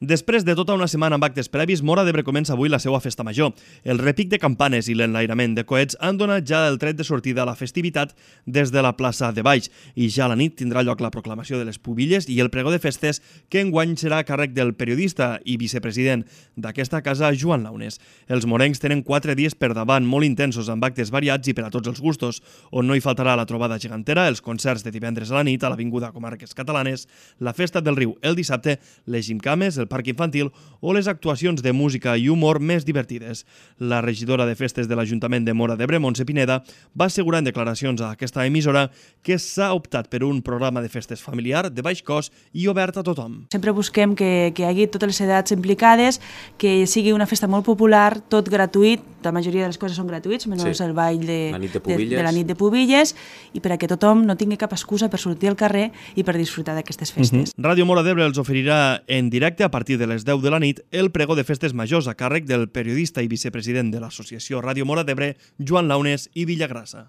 Després de tota una setmana amb actes previs, Móra d'Ebre comença avui la seva festa major. El repic de campanes i l'enlairament de coets han donat ja el tret de sortida a la festivitat des de la plaça de Baix i ja a la nit tindrà lloc la proclamació de les pubilles i el pregó de festes que enguany serà a càrrec del periodista i vicepresident d'aquesta casa, Joan Launes. Els morencs tenen 4 dies per davant, molt intensos, amb actes variats i per a tots els gustos, on no hi faltarà la trobada gegantera, els concerts de divendres a la nit a l'Avinguda Comarques Catalanes, la Festa del Riu el dissabte, les gimcames, el parc infantil o les actuacions de música i humor més divertides. La regidora de festes de l'Ajuntament de Móra d'Ebre, Montse Pineda, va assegurar en declaracions a aquesta emissora que s'ha optat per un programa de festes familiar, de baix cost i obert a tothom. Sempre busquem que hi hagi totes les edats implicades, que sigui una festa molt popular, tot gratuït, la majoria de les coses són gratuïts, menys el ball de la nit de Pubilles, i per a que tothom no tingui cap excusa per sortir al carrer i per disfrutar d'aquestes festes. Ràdio Móra d'Ebre els oferirà en directe a partir de les 10 de la nit el pregó de festes majors a càrrec del periodista i vicepresident de l'associació Ràdio Móra d'Ebre, Joan Launes i Villagrassa.